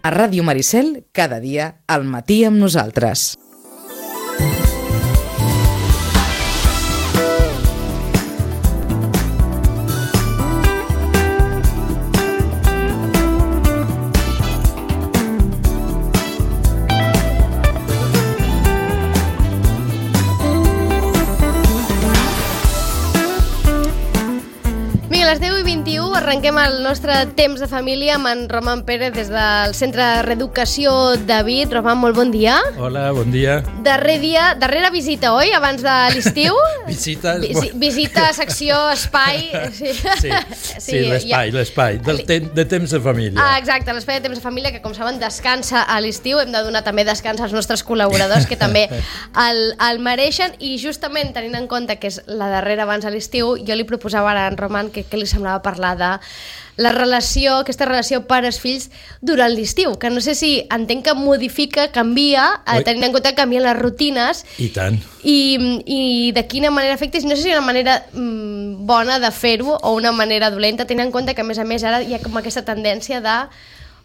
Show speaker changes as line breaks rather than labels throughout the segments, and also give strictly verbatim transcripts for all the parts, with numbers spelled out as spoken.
A Ràdio Maricel, cada dia, al matí amb nosaltres.
A les deu i vint-i-u arrenquem el nostre temps de família amb en Roman Pérez des del Centre de Reeducació David. Roman, molt bon dia.
Hola, bon dia.
Darrer dia, darrera visita, oi? Abans de l'estiu.
Visita...
Visi, visita, secció, espai.
Sí, sí, sí l'espai, ja... l'espai, del te de temps de família.
Ah, exacte, l'espai de temps de família, que com saben descansa a l'estiu. Hem de donar també descans als nostres col·laboradors, que també el, el mereixen. I justament tenint en compte que és la darrera abans de l'estiu, jo li proposava ara a en Roman que, que li semblava parlar de la relació, aquesta relació pares-fills durant l'estiu, que no sé si entenc que modifica, canvia, eh, tenint en compte que canvien les rutines.
I tant.
I, i de quina manera afecta, no sé si hi ha una manera mm, bona de fer-ho o una manera dolenta, tenint en compte que a més a més ara hi ha com aquesta tendència de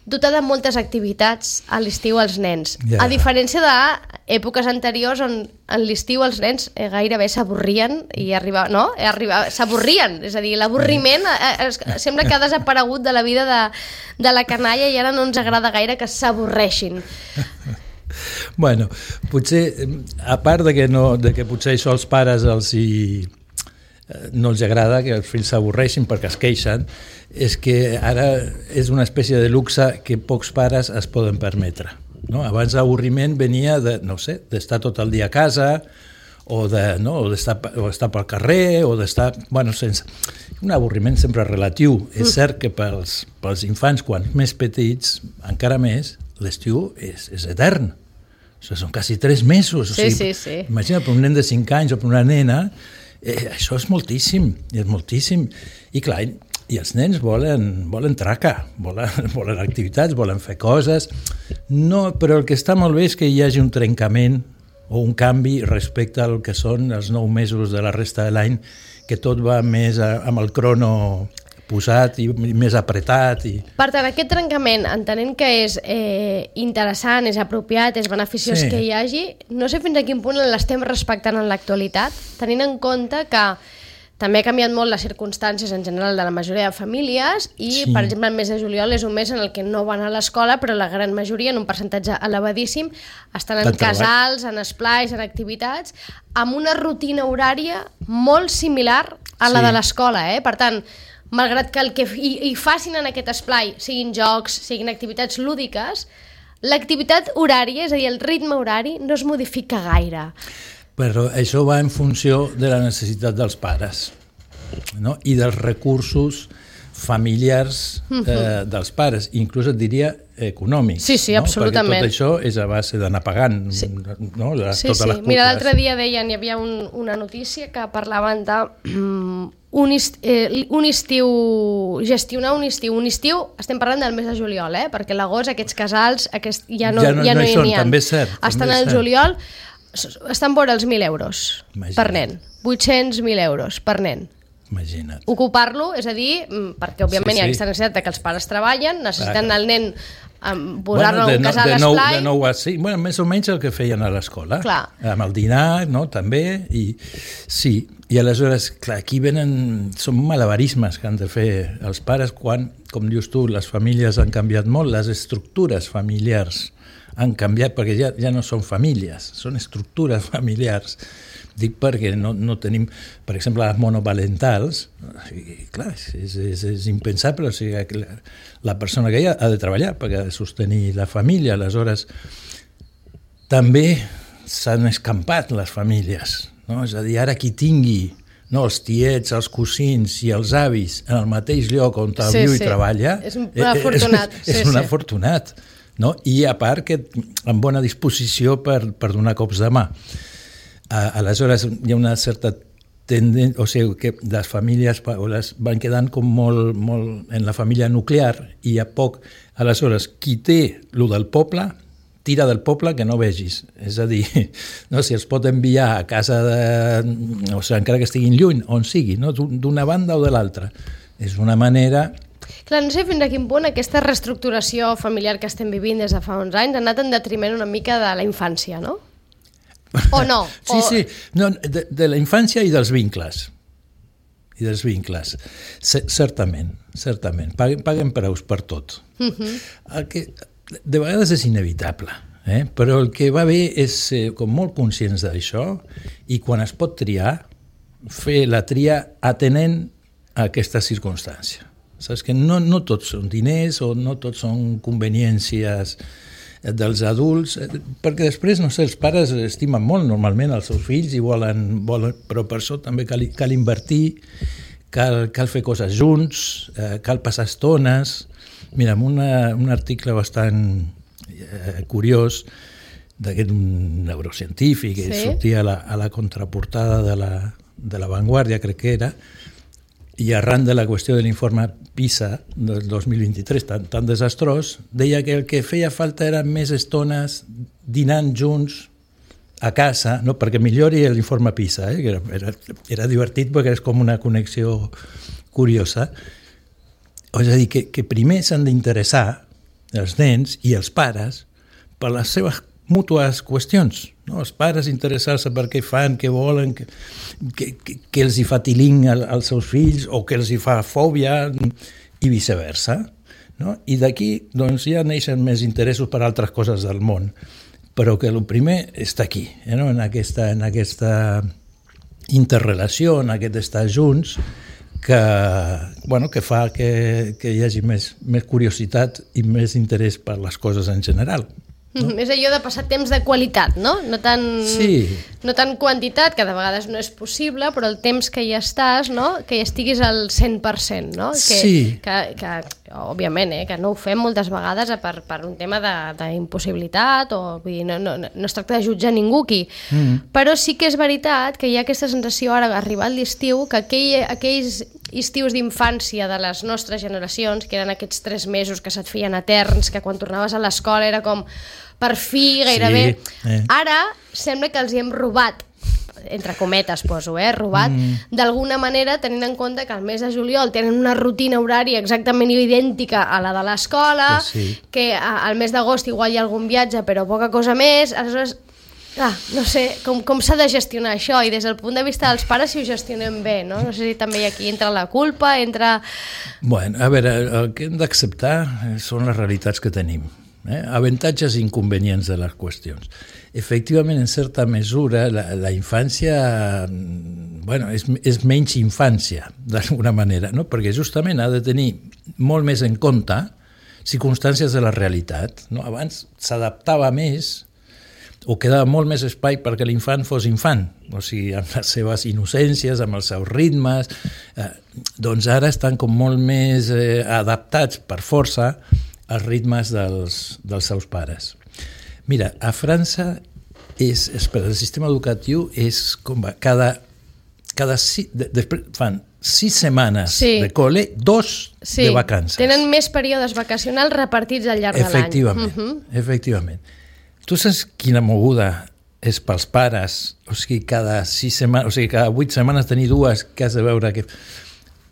dotar de moltes activitats a l'estiu als nens. Yeah. A diferència d'èpoques anteriors on a l'estiu els nens eh, gairebé s'avorrien i arriba, no? Arriba, s'avorrien, és a dir, l'avorriment eh, eh, sembla que ha desaparegut de la vida de, de la canalla i ara no ens agrada gaire que s'avorreixin.
Bueno, potser, a part de que, no, de que potser això als pares els hi... no els agrada que els fills s'avorreixin perquè es queixen, és que ara és una espècie de luxe que pocs pares es poden permetre. No? Abans l'avorriment venia de, no sé, d'estar tot el dia a casa o de, no, o d'estar o estar pel carrer o d'estar, bueno, sense... Un avorriment sempre relatiu. Mm. És cert que pels, pels infants, quan més petits, encara més, l'estiu és, és etern. O sigui, són quasi tres mesos.
Sí,
o sigui,
sí, sí.
Imagina, per un nen de cinc anys o per una nena, Eh, això és moltíssim, és moltíssim. I clar, i els nens volen, volen traca, volen, volen activitats, volen fer coses. No, però el que està molt bé és que hi hagi un trencament o un canvi respecte al que són els nou mesos de la resta de l'any, que tot va més a, amb el crono posat i més apretat. I...
Per tant, aquest trencament, entenent que és eh, interessant, és apropiat, és beneficiós sí. que hi hagi, no sé fins a quin punt l'estem respectant en l'actualitat, tenint en compte que també ha canviat molt les circumstàncies en general de la majoria de famílies i, sí. per exemple, el mes de juliol és un mes en el que no van a l'escola, però la gran majoria, en un percentatge elevadíssim, estan en casals, en esplais, en activitats, amb una rutina horària molt similar a la sí. de l'escola. Eh? Per tant, malgrat que el que hi, hi facin en aquest esplai siguin jocs, siguin activitats lúdiques, l'activitat horària, és a dir, el ritme horari, no es modifica gaire.
Però això va en funció de la necessitat dels pares, no? I dels recursos familiars eh, dels pares, inclús et diria econòmics.
Sí, sí,
no?
absolutament.
Perquè tot això és a base d'anar pagant. Sí, no? La,
sí,
totes
sí.
Les
Mira, l'altre dia deien, hi havia un, una notícia que parlaven de um, un, est, eh, un estiu, gestionar un estiu. Un estiu, estem parlant del mes de juliol, eh? Perquè l'agost, aquests casals, aquest, ja no,
ja no,
ja no,
no hi,
hi
són,
ha.
També és cert.
Estan
també
al juliol, estan vora els mil euros. Imagina't. Per nen. vuit-cents mil euros per nen.
Imagina't.
Ocupar-lo, és a dir, perquè òbviament sí, sí. hi ha aquesta necessitat que els pares treballen, necessiten el nen um, posar-lo
bueno,
en un casal
de
esplai.
De nou a cinc, bueno, més o menys el que feien a l'escola. Clar. Amb el dinar, no?, també, i sí, i aleshores, clar, aquí venen, són malabarismes que han de fer els pares quan, com dius tu, les famílies han canviat molt, les estructures familiars han canviat, perquè ja, ja no són famílies, són estructures familiars. Dic perquè no, no tenim, per exemple, les monoparentals, i, clar, és, és, és impensable, o sigui, la, la persona que hi ha ha de treballar perquè ha de sostenir la família, aleshores també s'han escampat les famílies, no? És a dir, ara qui tingui no, els tiets, els cosins i els avis en el mateix lloc on sí, viu sí. i treballa,
és un afortunat.
És, és sí, un afortunat, no? I a part que amb bona disposició per, per donar cops de mà. Aleshores hi ha una certa tendència, o sigui que les famílies les van quedant com molt, molt en la família nuclear i a poc, aleshores qui té lo del poble tira del poble que no vegis, és a dir, no, si els pot enviar a casa de, o sigui, encara que estiguin lluny, on sigui, no? D'una banda o de l'altra, és una manera
Clar, no sé fins a quin punt aquesta reestructuració familiar que estem vivint des de fa uns anys ha anat en detriment una mica de la infància, no? O no?
Sí,
o...
sí, no, de, de la infància i dels vincles. I dels vincles. C certament, certament. Paguen, paguen preus per tot. Uh-huh. El que de vegades és inevitable, eh? Però el que va bé és ser com molt conscients d'això i quan es pot triar, fer la tria atenent a aquesta circumstància. Saps que no, no tots són diners o no tots són conveniències dels adults, perquè després, no sé, els pares estimen molt normalment els seus fills i volen, volen però per això també cal, cal invertir, cal, cal fer coses junts, eh, cal passar estones. Mira, en una, un article bastant eh, curiós d'aquest neurocientífic que sí? sortia a la, a la contraportada de la, de la Vanguardia, crec que era, i arran de la qüestió de l'informe PISA del dos mil vint-i-tres, tan, tan desastrós, deia que el que feia falta eren més estones dinant junts a casa, no? Perquè millori l'informe PISA, eh? era, era, era divertit perquè és com una connexió curiosa. És a dir, que, que primer s'han d'interessar els nens i els pares per les seves mútues qüestions, no? Els pares interessar-se per què fan, què volen, que, que, que, que els hi fa tiling als seus fills o que els hi fa fòbia i viceversa, no? I d'aquí doncs, ja neixen més interessos per altres coses del món, però que el primer està aquí, eh, no? en, aquesta, en aquesta interrelació, en aquest estar junts, que, bueno, que fa que, que hi hagi més, més curiositat i més interès per les coses en general. No?
És allò de passar temps de qualitat, no? No tant,
sí.
no tant quantitat, que de vegades no és possible, però el temps que hi estàs, no? Que hi estiguis al cent per cent, no? Que,
sí.
Que, que, òbviament, eh? Que no ho fem moltes vegades per, per un tema d'impossibilitat, o vull dir, no, no, no es tracta de jutjar ningú aquí. Mm. Però sí que és veritat que hi ha aquesta sensació ara, arribat l'estiu, que aquell, aquells estius d'infància de les nostres generacions, que eren aquests tres mesos que se't feien eterns, que quan tornaves a l'escola era com per fi, gairebé. Sí, eh. Ara sembla que els hi hem robat, entre cometes poso, eh, robat, mm. d'alguna manera, tenint en compte que al mes de juliol tenen una rutina horària exactament idèntica a la de l'escola, sí. que al mes d'agost igual hi ha algun viatge, però poca cosa més, aleshores... Ah, no sé, com, com s'ha de gestionar això, i des del punt de vista dels pares si ho gestionem bé, no? No sé si també aquí entra la culpa, entra...
Bueno, a veure, el que hem d'acceptar són les realitats que tenim. Eh? Avantatges i inconvenients de les qüestions. Efectivament, en certa mesura, la, la infància bueno, és, és menys infància, d'alguna manera, no? Perquè justament ha de tenir molt més en compte circumstàncies de la realitat. No? Abans s'adaptava més o quedava molt més espai perquè l'infant fos infant, o sigui, amb les seves innocències, amb els seus ritmes, eh, doncs ara estan com molt més eh, adaptats per força als ritmes dels, dels seus pares. Mira, a França és, és per el sistema educatiu és com va, cada, cada si, de, després fan sis setmanes sí. de col·le, dos sí. de vacances.
Tenen més períodes vacacionals repartits al llarg de l'any.
Efectivament, uh-huh. efectivament. Tu saps quina moguda és pels pares? O sigui, cada sis setmanes, o sigui, cada vuit setmanes tenir dues que has de veure que...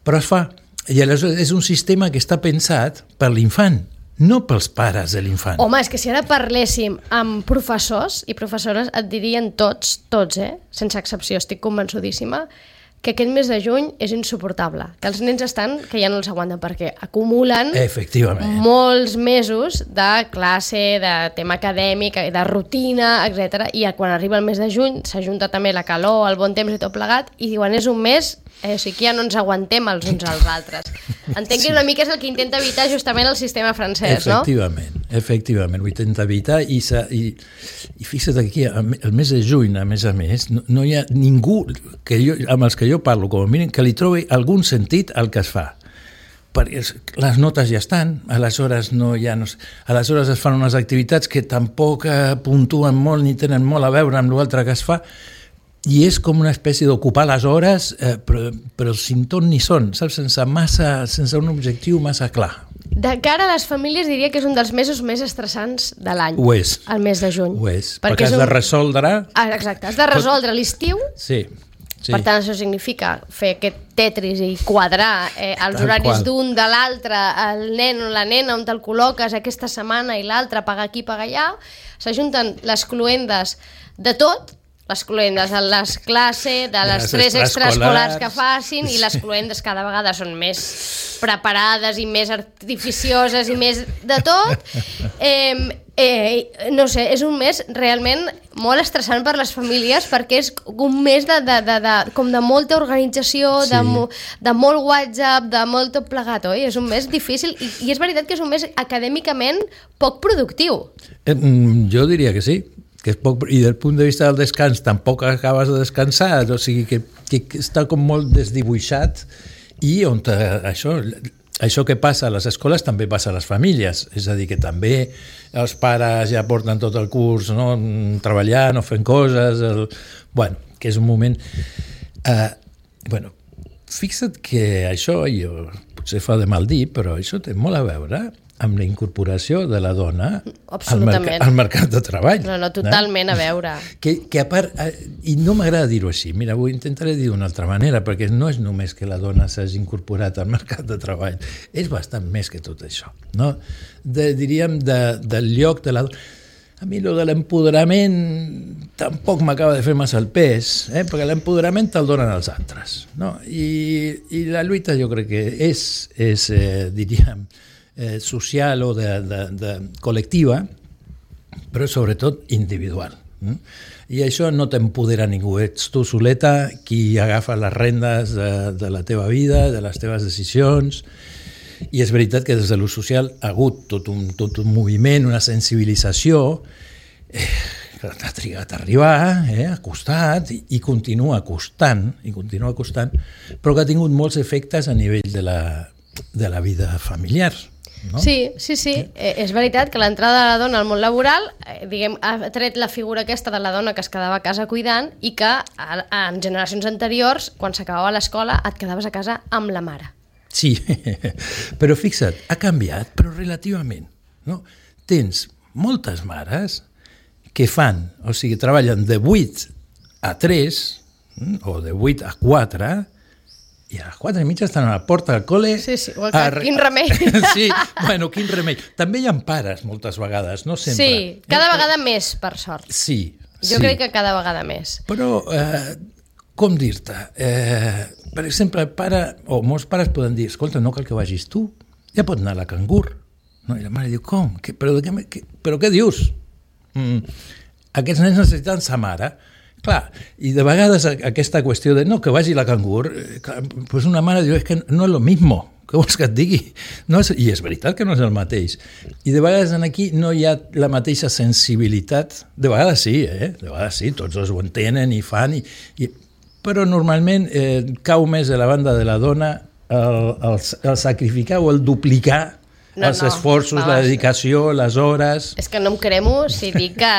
Però es fa. I aleshores és un sistema que està pensat per l'infant, no pels pares de l'infant.
Home, és que si ara parléssim amb professors i professores et dirien tots, tots, eh? Sense excepció, estic convençudíssima, que aquest mes de juny és insuportable, que els nens estan que ja no els aguanten perquè acumulen molts mesos de classe, de tema acadèmic, de rutina, etcètera. I quan arriba el mes de juny s'ajunta també la calor, el bon temps i tot plegat, i diuen és un mes, eh, o sigui que ja no ens aguantem els uns als altres. Entenc sí. que una mica és el que intenta evitar justament el sistema francès,
efectivament,
no?
Efectivament, ho intenta evitar i, i, i fixa't aquí, el mes de juny, a més a més, no, no hi ha ningú que jo, amb els que jo parlo, com a mínim, que li trobi algun sentit al que es fa. Perquè les notes ja estan, aleshores, no hi ha, no, aleshores es fan unes activitats que tampoc puntuen molt ni tenen molt a veure amb l'altre que es fa, i és com una espècie d'ocupar les hores, eh, però, però sin ton ni son, saps? Sense, massa, sense un objectiu massa clar.
De cara a les famílies diria que és un dels mesos més estressants de l'any.
Ho és.
El mes de juny.
Ho és, perquè, perquè has un... de resoldre...
Ah, exacte, has de resoldre l'estiu.
Sí.
Sí. Per tant, això significa fer aquest tetris i quadrar eh, els Tal horaris qual. d'un, de l'altre, el nen o la nena on te'l col·loques aquesta setmana i l'altre, pagar aquí, pagar allà. S'ajunten les cluendes de tot, les cluendes de les classes, de les, les tres extraescolars que facin, i les cluendes cada vegada són més preparades i més artificioses i més de tot. Eh, eh, no sé, és un mes realment molt estressant per les famílies perquè és un mes de, de, de, de, com de molta organització, sí. de, de molt WhatsApp, de molt tot plegat, oi? És un mes difícil i, i és veritat que és un mes acadèmicament poc productiu.
Eh, jo diria que sí. Que és poc, i del punt de vista del descans tampoc acabes de descansar, o sigui que, que està com molt desdibuixat i on te, això, això que passa a les escoles també passa a les famílies, és a dir, que també els pares ja porten tot el curs, no? Treballant o fent coses, el, bueno, que és un moment... Uh, bueno, fixa't que això, jo, potser fa de mal dir, però això té molt a veure amb la incorporació de la dona al, merc al mercat de treball.
No, no, totalment no? A veure.
Que, que a part, i no m'agrada dir-ho així, mira, ho intentaré dir d'una altra manera, perquè no és només que la dona s'hagi incorporat al mercat de treball, és bastant més que tot això, no? De, diríem, de, del lloc de la dona. A mi lo de l'empoderament tampoc m'acaba de fer massa el pes, eh? Perquè l'empoderament te'l donen els altres, no? I, i la lluita jo crec que és, és eh, diríem, eh, social o de, de, de col·lectiva, però sobretot individual. Mm? I això no t'empodera ningú, ets tu soleta qui agafa les rendes de, de la teva vida, de les teves decisions, i és veritat que des de l'ús social ha hagut tot un, tot un moviment, una sensibilització eh, que ha trigat a arribar, eh, ha costat i, i continua costant, i continua costant, però que ha tingut molts efectes a nivell de la, de la vida familiar. No?
Sí, sí, sí. Eh, és veritat que l'entrada de la dona al món laboral eh, diguem, ha tret la figura aquesta de la dona que es quedava a casa cuidant i que a, en generacions anteriors, quan s'acabava l'escola, et quedaves a casa amb la mare.
Sí, però fixa't, ha canviat, però relativament. No? Tens moltes mares que fan, o sigui, treballen de vuit a tres o de vuit a quatre i a les quatre i mitja estan a la porta del col·le.
Sí, sí, o a... quin remei.
Sí, bueno, quin remei. També hi ha pares moltes vegades, no sempre.
Sí, cada eh? vegada més, per sort.
Sí,
Jo
sí.
crec que cada vegada més.
Però, eh, com dir-te, eh, per exemple, pare, o molts pares poden dir, escolta, no cal que vagis tu, ja pot anar a la cangur. No? I la mare diu, com? Que, però, de què, que, però què dius? Mm, aquests nens necessiten sa mare. Clar, i de vegades aquesta qüestió de no, que vagi a la cangur, eh, clar, pues una mare diu, és que no és lo mismo, què vols que et digui? No és, i és veritat que no és el mateix. I de vegades aquí no hi ha la mateixa sensibilitat, de vegades sí, eh? de vegades sí, tots dos ho entenen i fan, i, i, però normalment eh, cau més de la banda de la dona el, el, el sacrificar o el duplicar no, els no, esforços, no, la dedicació, les hores...
És que no em cremo si dic que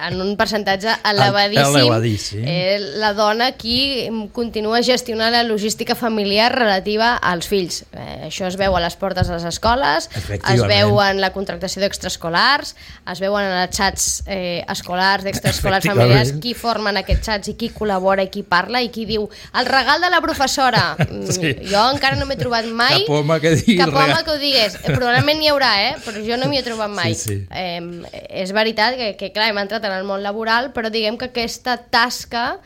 en un percentatge elevadíssim,
elevadíssim.
Eh, la dona qui continua gestionant la logística familiar relativa als fills. Eh, això es veu a les portes de les escoles, es veu en la contractació d'extraescolars, es veuen en els xats eh, escolars, d'extraescolars familiars, qui formen aquests xats i qui col·labora i qui parla i qui diu el regal de la professora. Sí. Jo encara no m'he trobat mai
cap home que, digui
cap home que ho digués. Probablement n'hi haurà, eh? Però jo no m'hi he trobat mai.
Sí, sí.
Eh, és veritat que, que, clar, hem entrat en el món laboral, però diguem que aquesta tasca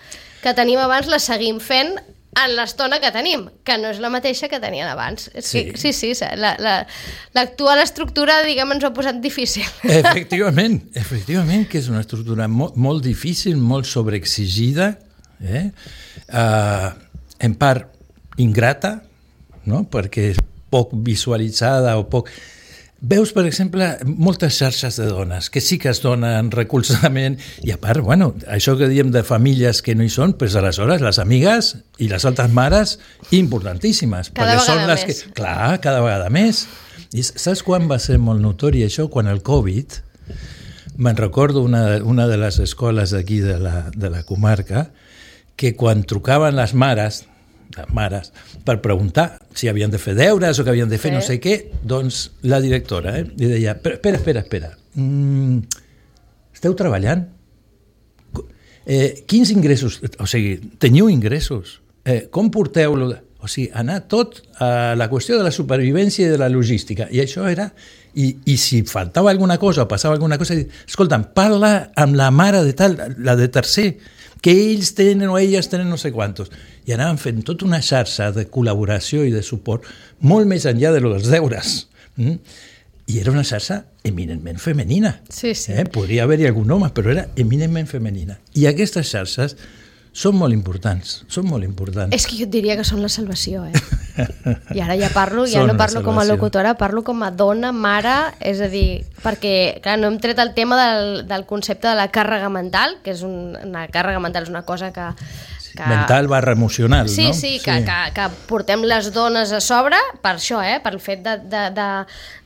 que tenim abans la seguim fent en l'estona que tenim, que no és la mateixa que tenien abans. Sí, sí, sí, sí l'actual la, estructura, diguem, ens ho ha posat difícil.
Efectivament, efectivament, que és una estructura molt, molt difícil, molt sobreexigida, eh? Uh, en part ingrata, no? Perquè és poc visualitzada o poc... Veus, per exemple, moltes xarxes de dones que sí que es donen recolzament i a part, bueno, això que diem de famílies que no hi són, doncs aleshores les amigues i les altres mares importantíssimes.
Cada vegada són les
més. Que, clar, cada vegada més. I saps quan va ser molt notori això? Quan el Covid, me'n recordo una, una de les escoles d'aquí de la, de la comarca, que quan trucaven les mares, les mares, per preguntar si havien de fer deures o que havien de fer sí. no sé què, doncs la directora eh, li deia, espera, espera, espera, mm, esteu treballant? Eh, quins ingressos? O sigui, teniu ingressos? Eh, com porteu-lo? O sigui, anar tot a la qüestió de la supervivència i de la logística. I això era... I, i si faltava alguna cosa o passava alguna cosa, escolta'm, parla amb la mare de tal, la de tercer, que ells tenen o elles tenen no sé quantos. I anàvem fent tota una xarxa de col·laboració i de suport molt més enllà de lo dels deures. Mm? I era una xarxa eminentment femenina.
Sí, sí.
Eh? Podria haver-hi algun home, però era eminentment femenina. I aquestes xarxes són molt importants, són molt importants.
És que jo et diria que són la salvació, eh? I ara ja parlo, ja no parlo com a locutora, parlo com a dona, mare, és a dir, perquè, clar, no hem tret el tema del, del concepte de la càrrega mental, que és un, una càrrega mental, és una cosa que... que...
Mental barra emocional,
sí,
no?
Sí, sí, que, que, que portem les dones a sobre per això, eh? Pel fet de, de, de,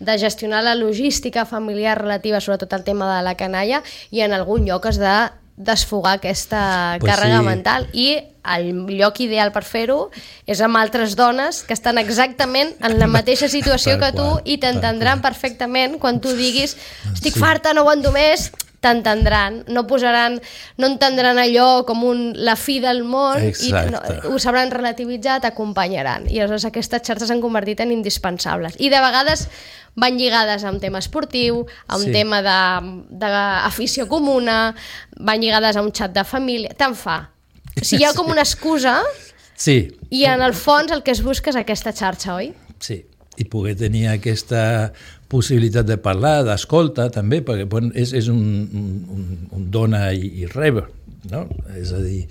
de gestionar la logística familiar relativa, sobretot al tema de la canalla, i en algun lloc has de desfogar aquesta pues càrrega sí. mental, i el lloc ideal per fer-ho és amb altres dones que estan exactament en la mateixa situació que tu qual, i t'entendran perfectament quan tu diguis estic sí. farta, no aguanto més, t'entendran, no posaran, no entendran allò com un, la fi del món. Exacte. I no, ho sabran relativitzar, t'acompanyaran, i aleshores aquestes xarxes s'han convertit en indispensables, i de vegades van lligades a un tema esportiu, a un sí. tema d'afició comuna, van lligades a un xat de família, tant fa. O sigui, hi ha com una excusa
sí.
i en el fons el que es busca és aquesta xarxa, oi?
Sí, i poder tenir aquesta possibilitat de parlar, d'escolta també, perquè bueno, és, és un, un, un dona i, i reba, no? És a dir,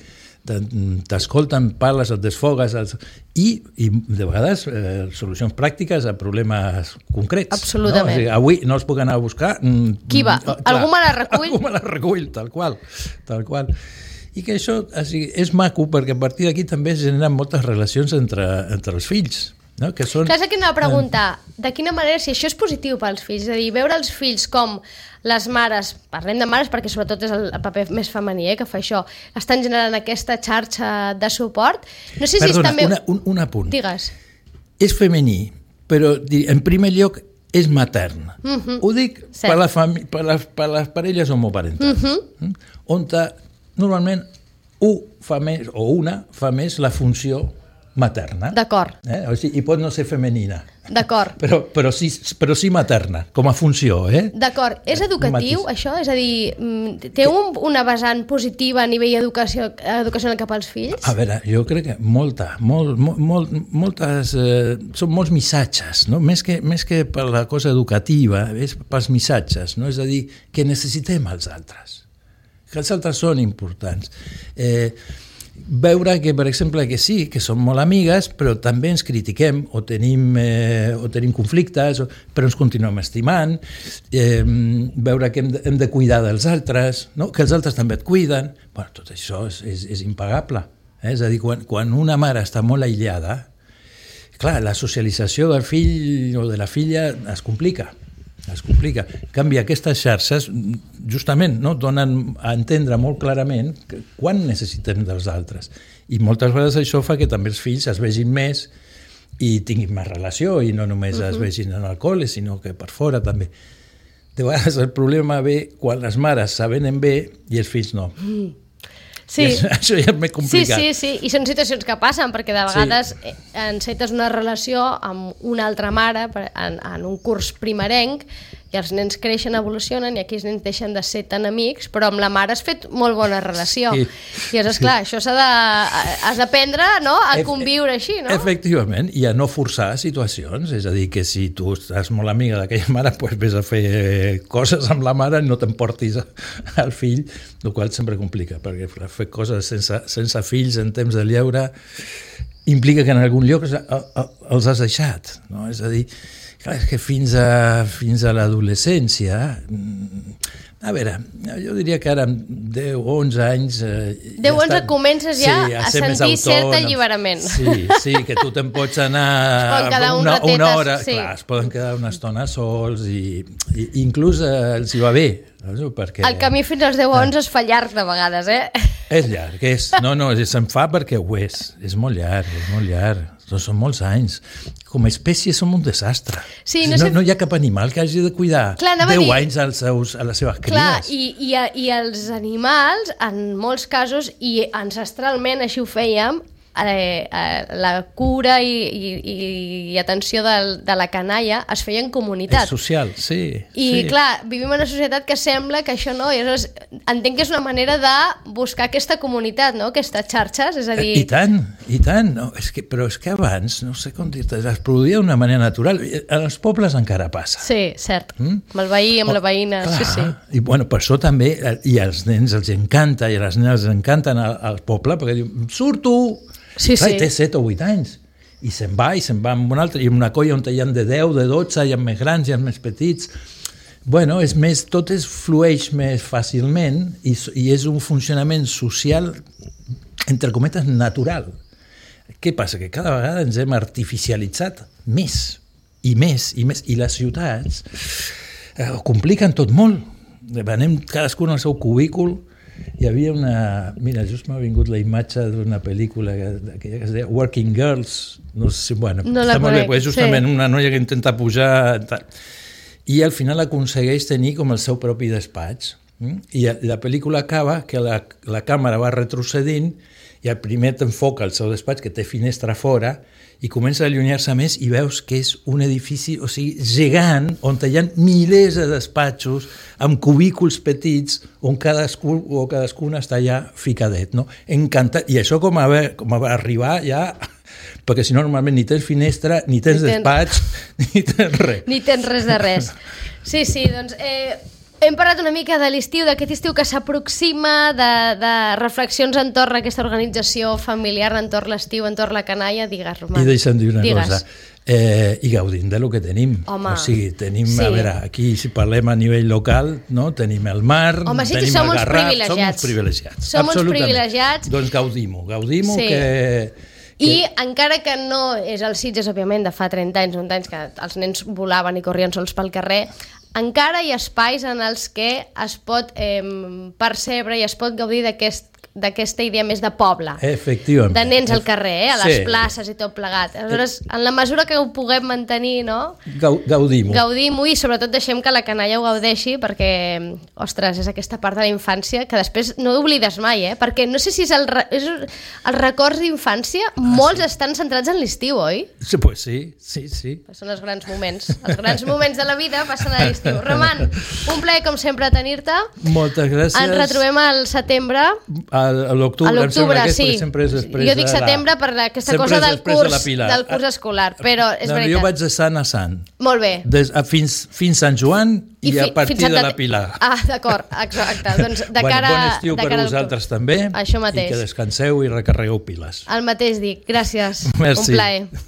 t'escolten, parles, et desfogues els... I, i de vegades eh, solucions pràctiques a problemes concrets.
Absolutament.
No? O sigui, avui no els puc anar a buscar.
Qui va? Clar, algú me la recull?
Algú me la recull, tal qual. Tal qual. I que això o sigui, és maco perquè a partir d'aquí també es generen moltes relacions entre, entre els fills. No? Que són...
Clar, és que anava a preguntar, de quina manera, si això és positiu pels fills, és a dir, veure els fills com les mares, parlem de mares perquè sobretot és el paper més femení eh, que fa això, estan generant aquesta xarxa de suport. No sé si
Perdona,
és també...
una, un, un apunt.
Digues.
És femení, però en primer lloc és matern. Uh-huh. Ho dic sí. per, la fami- per, les, per les parelles homoparentals, uh-huh. on normalment un fa més, o una fa més la funció materna.
D'acord.
Eh? O sigui, i pot no ser femenina.
D'acord.
Però, però, sí, però sí materna, com a funció. Eh?
D'acord. És educatiu, Matis. Això? És a dir, té un, una vessant positiva a nivell educació, educacional cap als fills?
A veure, jo crec que molta, molt, molt, moltes, eh, són molts missatges, no? Més que, més que per la cosa educativa, és pels missatges, no? És a dir, que necessitem els altres, que els altres són importants. Eh, veure que, per exemple, que sí, que som molt amigues, però també ens critiquem o tenim, eh, o tenim conflictes, o, però ens continuem estimant, eh, veure que hem de, hem de cuidar dels altres, no? Que els altres també et cuiden. Bueno, tot això és, és, és impagable. Eh? És a dir, quan, quan una mare està molt aïllada, clar, la socialització del fill o de la filla es complica. es complica. En canvi, aquestes xarxes justament no, donen a entendre molt clarament que quan necessitem dels altres. I moltes vegades això fa que també els fills es vegin més i tinguin més relació i no només uh-huh. es vegin en el col·le, sinó que per fora també. De vegades el problema ve quan les mares s'avenen bé i els fills no. Mm.
Sí.
Això ja és més complicat.
Sí, sí, sí, i són situacions que passen, perquè de vegades sí. encetes una relació amb una altra mare en, en un curs primerenc i els nens creixen, evolucionen i aquí els nens deixen de ser tan amics, però amb la mare has fet molt bona relació. Sí. I és clar, sí. això s'ha de, has d'aprendre no? a conviure així, no?
Efectivament, i a no forçar situacions, és a dir, que si tu estàs molt amiga d'aquella mare, doncs vés a fer coses amb la mare i no t'emportis al fill, el qual sempre complica, perquè fer coses sense, sense fills en temps de lleure implica que en algun lloc els has deixat, no? És a dir, clar, és que fins a, fins a l'adolescència, a veure, jo diria que ara amb deu o onze anys... Eh,
deu o onze ja comences ja sí, a, a sentir cert alliberament.
Sí, sí, que tu te'n pots anar una, un una hora, sí. clar, es poden quedar una estona sols i, i inclús eh, els hi va bé. No? Perquè,
el camí fins als deu o onze es fa llarg de vegades, eh?
És llarg, és, no, no, se'n fa perquè ho és, és molt llarg, és molt llarg. són molts anys. Com a espècie som un desastre.
Sí,
no,
no, sé...
no hi ha cap animal que hagi de cuidar Clar, deu dir... anys als seus, a les seves cries.
Clar, i, i, i els animals, en molts casos, i ancestralment així ho fèiem, Eh, eh, la cura i, i, i atenció de, de la canalla es feia en comunitat.
És social, sí.
I
sí.
clar, vivim en una societat que sembla que això no, i aleshores entenc que és una manera de buscar aquesta comunitat, no? Aquestes xarxes, és a dir...
I tant, i tant, no, és que, però és que abans, no sé com dir-te, es produïa d'una manera natural. En els pobles encara passa.
Sí, cert, mm? amb el veí, amb oh, la veïna, clar, sí, sí.
I bueno, per això també, i als nens els encanta, i a les nenes els encanten al, al poble, perquè diuen, surto!
Sí,
clar,
sí.
Té set o vuit anys i se'n va i se'n va amb un altre i en una colla on hi ha de deu, de dotze, hi ha més grans, hi ha més petits. Bueno, és més, tot es flueix més fàcilment i, i és un funcionament social, entre cometes, natural. Què passa? Que cada vegada ens hem artificialitzat més i més i més i les ciutats eh, ho compliquen tot molt. Anem cadascun al seu cubícul. Hi havia una... Mira, just m'ha vingut la imatge d'una pel·lícula que, que es deia Working Girls. No sé, bueno,
no la conec,
bé, és justament
sí.
Una noia que intenta pujar... I al final aconsegueix tenir com el seu propi despatx. I la pel·lícula acaba que la, la càmera va retrocedint i el primer t'enfoca el seu despatx, que té finestra fora, i comença a allunyar-se més i veus que és un edifici, o sigui, gegant, on hi ha milers de despatxos amb cubículs petits on cadascú o cadascuna està allà ficadet, no? Encantat. I això com a, com a arribar ja... Perquè si no, normalment ni tens finestra, ni tens ni despatx, tens... ni tens res.
Ni tens res de res. Sí, sí, doncs... Eh... Hem parlat una mica de l'estiu, d'aquest estiu que s'aproxima, de, de reflexions entorn a aquesta organització familiar, entorn l'estiu, entorn la canalla. Digues, Roman.
I deixa'm dir una
Digues.
cosa. Eh, I gaudim de lo que tenim.
Home,
o sigui, tenim,
sí.
a veure, aquí si parlem a nivell local, no? Tenim el mar,
Home, sí
tenim
som
el
uns
Garraf,
privilegiats.
som uns privilegiats.
Som uns privilegiats.
Doncs gaudim-ho, gaudim-ho
Sí.
que...
I encara que no és el Sitges, òbviament, de fa trenta anys, uns anys que els nens volaven i corrien sols pel carrer, encara hi ha espais en els que es pot eh, percebre i es pot gaudir d'aquest d'aquesta idea més de poble.
Efectivament.
De nens al carrer, eh? A les
sí.
places i tot plegat. Aleshores, en la mesura que ho puguem mantenir, no?
Gaudim-ho.
Gaudim-ho i sobretot deixem que la canalla ho gaudeixi perquè, ostres, és aquesta part de la infància que després no oblides mai, eh? Perquè no sé si és el, re... és els records d'infància, ah, molts sí. estan centrats en l'estiu, oi?
Sí, pues sí, sí, sí.
Són els grans moments. Els grans moments de la vida passen a l'estiu. Roman, un plaer, com sempre, tenir-te.
Moltes gràcies.
Ens retrobem al setembre.
A l'octubre,
a l'octubre, sí.
Sempre és després
jo dic setembre
la...
per aquesta cosa del curs,
de
del curs escolar, però és
no,
veritat.
Jo vaig de sant a sant.
Molt bé.
Des, a, fins, fins Sant Joan i, I fi, a partir de la Pilar.
Ah, d'acord, exacte. Doncs de
bueno,
cara,
bon estiu per vosaltres també.
Això mateix.
I que descanseu i recarregueu piles.
El mateix dic. Gràcies.
Merci.
Un plaer.